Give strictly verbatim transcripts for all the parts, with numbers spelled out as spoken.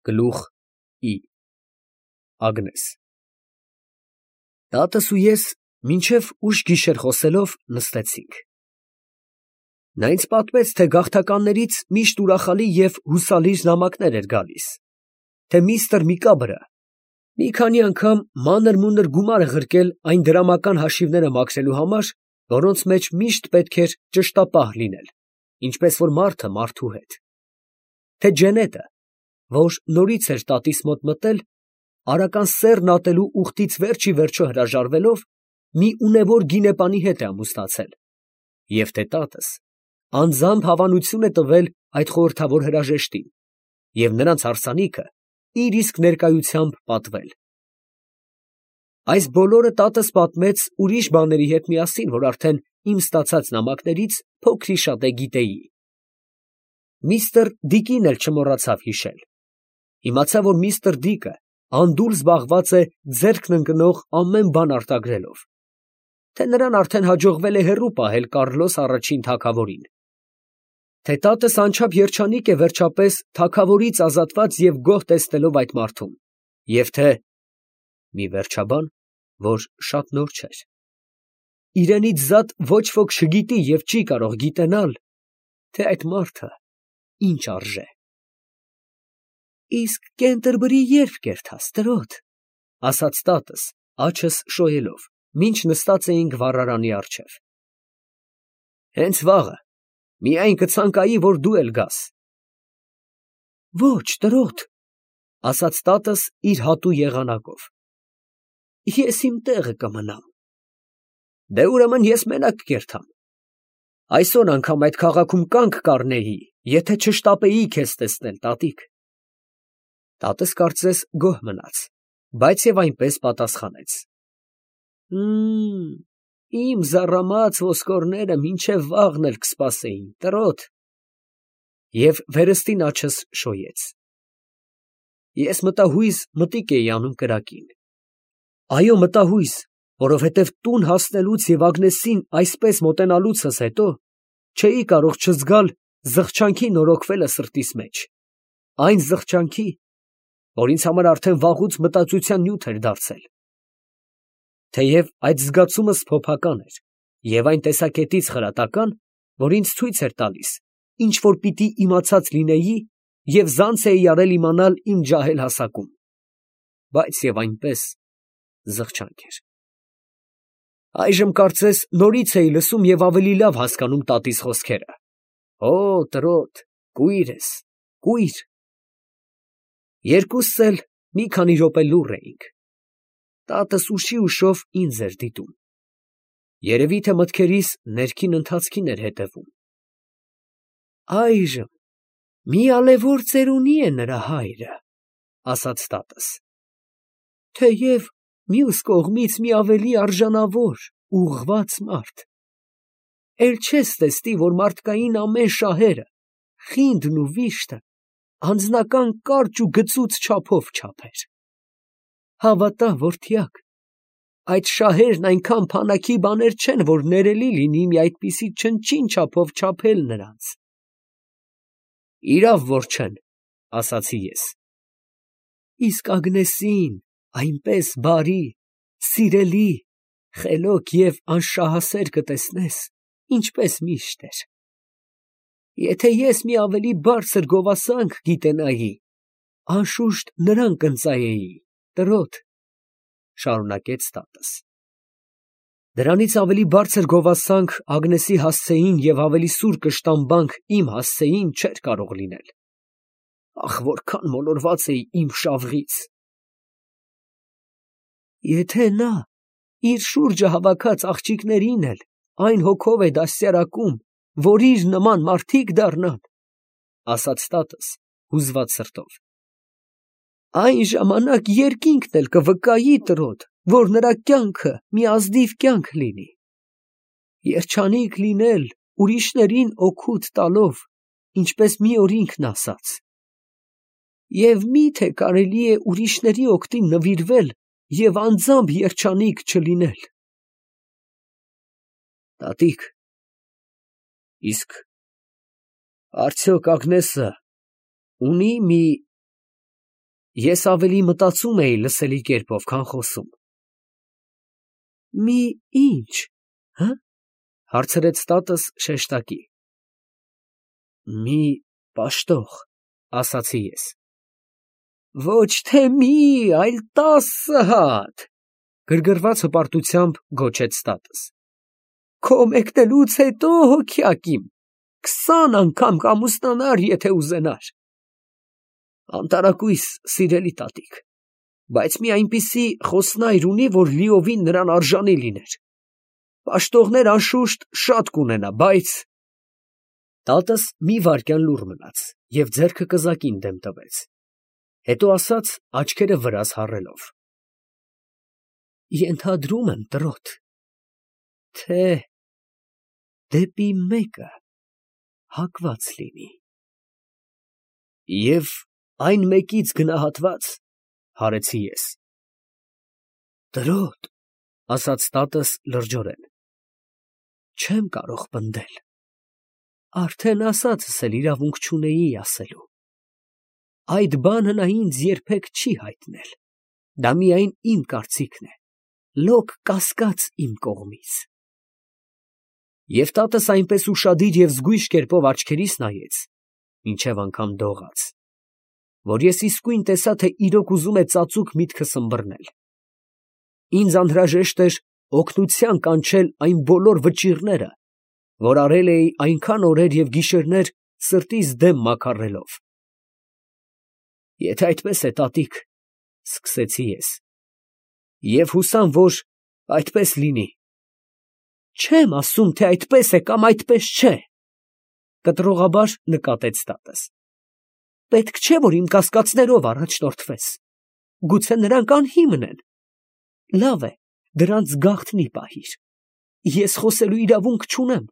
Գլուխ ի Ագնես Տատս ու ես մինչև ուշ գիշեր խոսելով նստեցինք. նա ինձ պատմեց, թե գաղթականներից միշտ ուրախալի և հուսալի նամակներ էր գալիս, թե միստր Միկաբրը մի քանի անգամ մանր֊մունր գումար է ղրկել այն դրամական հաշիվները մաքրելու համար, որոնց մեջ միշտ պետք էր ճշտապահ լինել, ինչպես որ մարդը մարդու հետ, թե Ջենետը, որ նորից էր տատիս մոտ մտել, արական սեռն ատելու ուխտից վերջ ի վերջո հրաժարվելով, մի ունևոր գինեպանի հետ է ամուսնացել, և թե տատս անձամբ հավանություն է տվել այդ խորհրդավոր հրաժեշտին և նրանց հարսանիքը իր իսկ ներկայությամբ պատվել։ Այս բոլորը տատս պատմեց ուրիշ բաների հետ միասին, որ արդեն իմ ստացած նամակներից փոքր-ի-շատե գիտեի։ Միստր Դիկին էլ չմոռացավ հիշել. իմացա, որ միստր Դիկը անդուլ զբաղված է ձեռքն ընկնող ամեն բան արտագրելով, թե նրան արդեն հաջողվել է հեռու պահել Կառլոս առաջին թագավորին, թե տատս անչափ երջանիկ է վերջապես թագավորից ազատված և գոհ տեսնելով այդ մարդում, և թե մի վերջաբան, որ շատ նոր չէր, իրենից զատ ոչ ոք չգիտի և չի կարող գիտենալ, թե այդ մարդը ինչ արժե։ Իսկ Կենտերբրի ե՞րբ կերտաս, տրոտ, ֊ ասաց տատս, աջս շոյելով, մինչ նստած էինք վառարանի առջև։ Հենց վաղը, միայն կցանկայի, որ դու էլ գաս։ Ոչ, տրոտ, ֊ ասաց տատս իր հատու եղանակով, ես իմ տեղը կմնամ։ Դե ուրեմն ես մենակ կերտամ։ Այսօր անգամ այդ քաղաքում կանգ կառնեի, եթե չշտապեի քեզ տեսնել, տատիկ։ Տատս կարծես գոհ մնաց, բայց և այնպես պատասխանեց. Հըմ, իմ զառամած ոսկորները մինչև վաղն էլ կսպասեին, տրոտ, և վերստին աջս շոյեց։ Ես մտահույզ մտիկ էի անում կրակին։ Այո, մտահույզ, որովհետև տուն հասնելուց և Ագնեսին այսպես մոտենալուցս հետո չէի կարող չզգալ զղջանքի նորոգվելը սրտիս մեջ, այն զղջանքի, որ ինձ համար արդեն վաղուց մտածության նյութ էր դարձել։ Թեև այդ զգացումը սփոփական էր և այն տեսակետից խրատական, որ ինձ ցույց էր տալիս, ինչ որ պիտի իմացած լինեի և զանց էի արել իմանալ իմ ջահել հասակում, բայց և այնպես զղջանք էր։ Այժմ կարծես նորից էի լսում և ավելի լավ հասկանում տատիս խոսքերը. «Հո, տրոտ, կույր ես, կույր»։ Երկուսս էլ մի քանի րոպե լուռ էինք։ Տատս ուշի ուշով ինձ էր դիտում։ Երևի թե մտքերիս ներքին ընթացքին էր հետևում։ Այժմ մի ալևոր ծերունի է նրա հայրը, ֊ ասաց տատս, թեև մյուս կողմից մի ավելի արժանավոր, ուղղված մարդ։ Էլ չես տեսնի, որ մարդկային ամեն շահերը, խինդն ու վիշտը անձնական կարճ ու գծուծ չափով չափեր։ Հավատա, որդյակ, այդ շահերն այնքան փանաքի բաներ չեն, որ ներելի լինի մի այդպիսի չնչին չափով չափել նրանց։ Իրավ որ չեն, ֊ ասացի ես։ Իսկ Ագնեսին այնպես բարի, սիրելի, խելոք և անշահասեր կտեսնես, ինչպես միշտ էր։ Եթե ես մի ավելի բարձր գովասանք գիտենայի, անշուշտ նրան կընծայեի, տրոտ, ֊ շարունակեց տատս։ Դրանից ավելի բարձր գովասանք Ագնեսի հասցեին և ավելի սուր կշտամբանք իմ հասցեին չէր կարող լինել։ Ախ, որքան մոլորված էի իմ շավղից։ Եթե նա իր շուրջը հավաքած աղջիկներին էլ այն հոգով է դաստիարակում, որ իր նման մարդիկ դառնան, ֊ ասաց տատս հուզված սրտով, այն ժամանակ երկինքն էլ կվկայի, տրոտ, որ նրա կյանքը մի ազնիվ կյանք լինի, երջանիկ լինել ուրիշներին օգուտ տալով, ինչպես մի օր ինքն ասաց, և մի՞թե կարելի է ուրիշների օգտին նվիրվել և անձամբ երջանիկ չլինել։ Տատիկ, իսկ արդյոք Ագնեսը ունի՞ մի Ես ավելի մտածում էի լսելի կերպով, քան խոսում։ Մի ինչ, հը՞, հարցրեց տատս շեշտակի։ Մի պաշտող, ասացի ես։ Ոչ թե մի, այլ տասը հատ, գրգռված հպարտությամբ գոչեց տատս։ Քո մեկնելուց հետո հոգյակ իմ, քսան անգամ կամուսնանար, եթե ուզենար։ Անտարակույս, սիրելի տատիկ, բայց մի այնպիսի խոսնայր ունի, որ լիովին նրան արժանի լիներ։ Պաշտողներ անշուշտ շատ կունենա, բայց… Տատս մի վայրկյան լուռ մնաց և ձեռքը կզակին դեմ տվեց, հետո ասաց աչքերը վրաս հառելով. Ենթադրում եմ, տրոտ, թե դեպի մեկը հակված լինի։ Եվ այն մեկից գնահատված, հարեցի ես։ Տրոտ, ասաց տատս լրջորեն, չեմ կարող պնդել, արդեն ասածս էլ իրավունք չունեի ասելու։ Այդ բանը նա ինձ երբեք չի հայտնել, դա միայն իմ կարծիքն է, լոկ կասկած իմ կողմից։ Եվ տատս այնպես ուշադիր և զգույշ կերպով աչքերիս նայեց, մինչև անգամ դողաց, որ ես իսկույն տեսա, թե իրոք ուզում է ծածուկ միտքս ըմբռնել։ Ինձ անհրաժեշտ էր օգնության կանչել այն բոլոր վճիռները, որ արել էի այնքան օրեր և գիշերներ սրտիս դեմ մաքարելով։ Եթե այդպես է, տատիկ, սկսեցի ես, և հուսամ, որ այդպես լինի։ Չեմ ասում, թե այդպես է կամ այդպես չէ, կտրողաբար նկատեց տատս։ Պետք չէ, որ իմ կասկածներով առաջնորդվես, գուցե նրանք անհիմն են։ Լավ է, դրանց գաղտնի պահիր, ես խոսելու իրավունք չունեմ։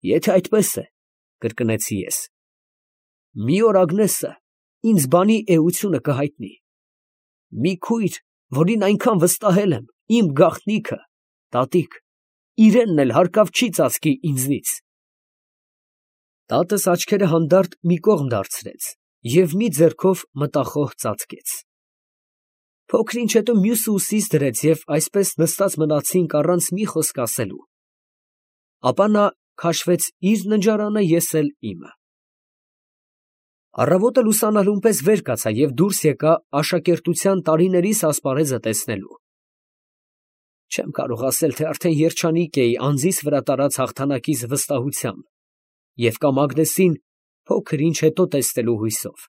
Եթե այդպես է, կրկնեցի ես, մի օր Ագնեսը ինձ բանի էությունը կհայտնի։ Մի քույր, որին այնքան վստահել եմ, իմ գաղտնիքը, տատիկ, իրենն էլ հարկավ չի ծածկի ինձնից։ Տատս աչքերը հանդարտ մի կողմ դարձրեց և մի ձեռքով մտախոհ ծածկեց։ Փոքր ինչ հետո մյուսը ուսիս դրեց և այսպես նստած մնացինք առանց մի խոսք ասելու։ Ապա նա քաշվեց իր ննջարանը, ես էլ իմը։ Առավոտը լուսանալուն պես վեր կացա և դուրս եկա աշակերտության տարիներիս ասպարեզը տեսնելու։ Չեմ կարող ասել, թե արդեն երջանիկ էի անձիս վրա տարած հաղթանակիս վստահությամբ և կամ Ագնեսին փոքր ինչ հետո տեսնելու հույսով։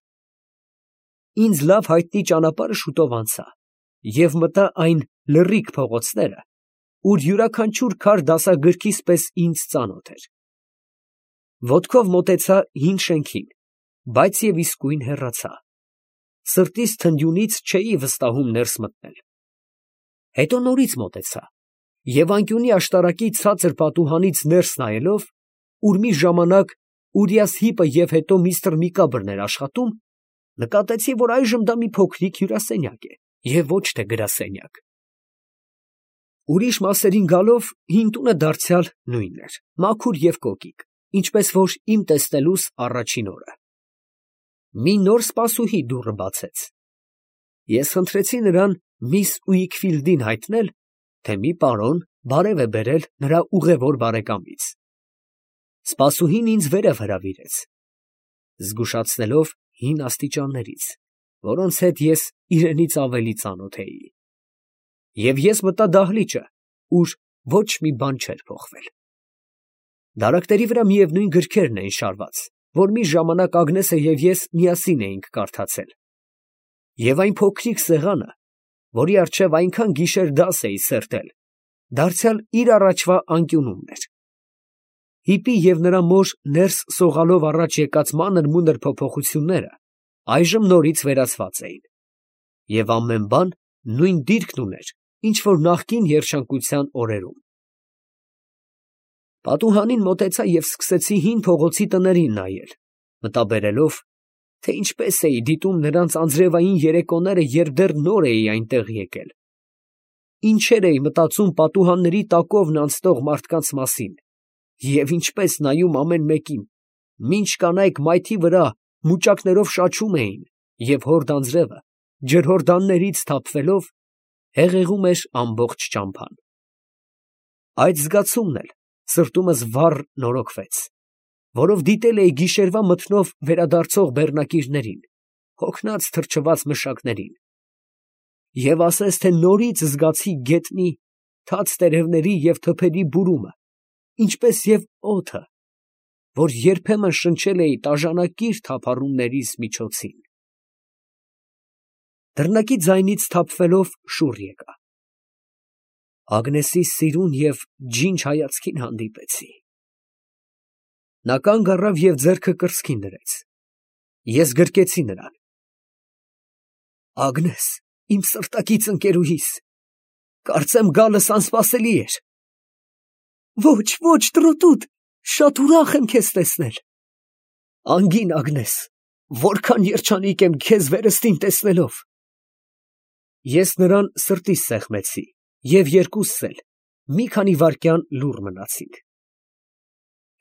Ինձ լավ հայտնի ճանապարհը շուտով անցա և մտա այն լռիկ փողոցները, ուր յուրաքանչյուր քար դասագրքիս պես ինձ ծանոթ էր։ Ոտքով մոտեցա հին շենքին, բայց և իսկույն հեռացա։ Սրտիս թնդյունից չէի վստահում ներս մտնել։ Հետո նորից մոտեցա և անկյունի աշտարակի ցածր պատուհանից ներս նայելով, ուր մի ժամանակ Ուրիաս Հիպը և հետո միստր Միկաբրն էր աշխատում, նկատեցի, որ այժմ դա մի փոքրիկ հյուրասենյակ է և ոչ թե գրասենյակ։ Ուրիշ մասերին գալով հին տունը դարձյալ նույնն էր, մաքուր և կոկիկ, ինչպես որ իմ տեսնելուս առաջին օրը։ Մի նոր սպասուհի դուռը բացեց։ Ես խնդրեցի նրան միս Ուիքֆիլդին հայտնել, թե մի պարոն բարև է բերել նրա ուղևոր բարեկամից։ Սպասուհին ինձ վերև հրավիրեց, զգուշացնելով հին աստիճաններից, որոնց հետ ես իրենից ավելի ծանոթ էի։ Եվ ես մտա դահլիճը, ուր ոչ մի բան չէր փոխվել։ Դարակների վրա միևնույն գրքերն էին շարված, որ մի ժամանակ Ագնեսը և ես միասին էինք կարդացել։ Եվ այն փոքրիկ սեղանը, որի առջև այնքան գիշեր դաս էի սերտել, դարձյալ իր առաջվա անկյունումն էր։ Հիպի և նրա մոր ներս սողալով առաջ եկած մանր֊մունր փոփոխությունները այժմ նորից վերացված էին, և ամեն բան նույն դիրքն ուներ, ինչ որ նախկին երջանկության օրերում։ Պատուհանին մոտեցա և սկսեցի հին փողոցի տներին նայել, մտաբերելով, թե ինչպես էի դիտում նրանց անձրևային երեկոները, երբ դեռ նոր էի այնտեղ եկել։ Ինչեր էի մտածում պատուհանների տակովն անցնող մարդկանց մասին և ինչպես նայում ամեն մեկին, մինչ կանայք մայթի վրա մուճակներով շաչում էին, և հորդ անձրևը, ջրհորդաններից թափվելով, հեղեղում էր ամբողջ ճամփան։ Այդ զգացումն էլ սրտումս վառ նորոգվեց, որով դիտել էի գիշերվա մթնով վերադարձող բեռնակիրներին, հոգնած թրջված մշակներին, և ասես թե նորից զգացի գետնի, թաց տերևների և թփերի բուրումը, ինչպես և օդը, որ երբեմն շնչել էի տաժանակիր թափառումներիս միջոցին։ Դռնակի ձայնից թափվելով շուռ եկա. Ագնեսի սիրուն և ջինջ հայացքին հանդիպեցի։ Նա կանգ առավ և ձեռքը կրծքին դրեց. ես գրկեցի նրան։ Ագնես, իմ սրտակից ընկերուհիս, կարծեմ գալս անսպասելի էր։ Ոչ, ոչ, տրոտուտ, շատ ուրախ եմ քեզ տեսնել։ Անգին Ագնես, որքան երջանիկ եմ քեզ վերստին տեսնելով։ Ես նրան սրտիս սեղմեցի, և երկուսս էլ մի քանի վայրկյան լուռ մնացինք։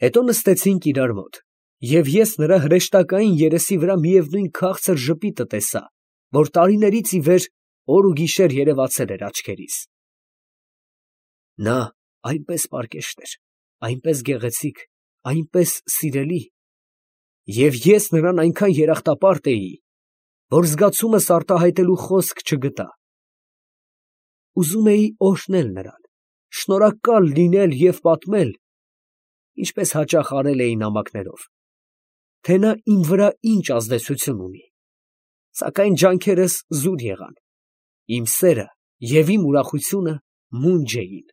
Հետո նստեցինք իրար մոտ, և ես նրա հրեշտակային երեսի վրա միևնույն քաղցր ժպիտը տեսա, որ տարիներից ի վեր օր ու գիշեր երևացել էր աչքերիս։ Նա այնպես պարկեշտ էր, այնպես գեղեցիկ, այնպես սիրելի, և ես նրան այնքան երախտապարտ էի, որ զգացումս արտահայտելու խոսք չգտա։ Ուզում էի օրհնել նրան, շնորհակալ լինել և պատմել, ինչպես հաճախ արել էի նամակներով, թե նա իմ վրա ինչ ազդեցություն ունի, սակայն ջանքերս զուր եղան, իմ սերը և իմ ուրախությունը մունջ էին։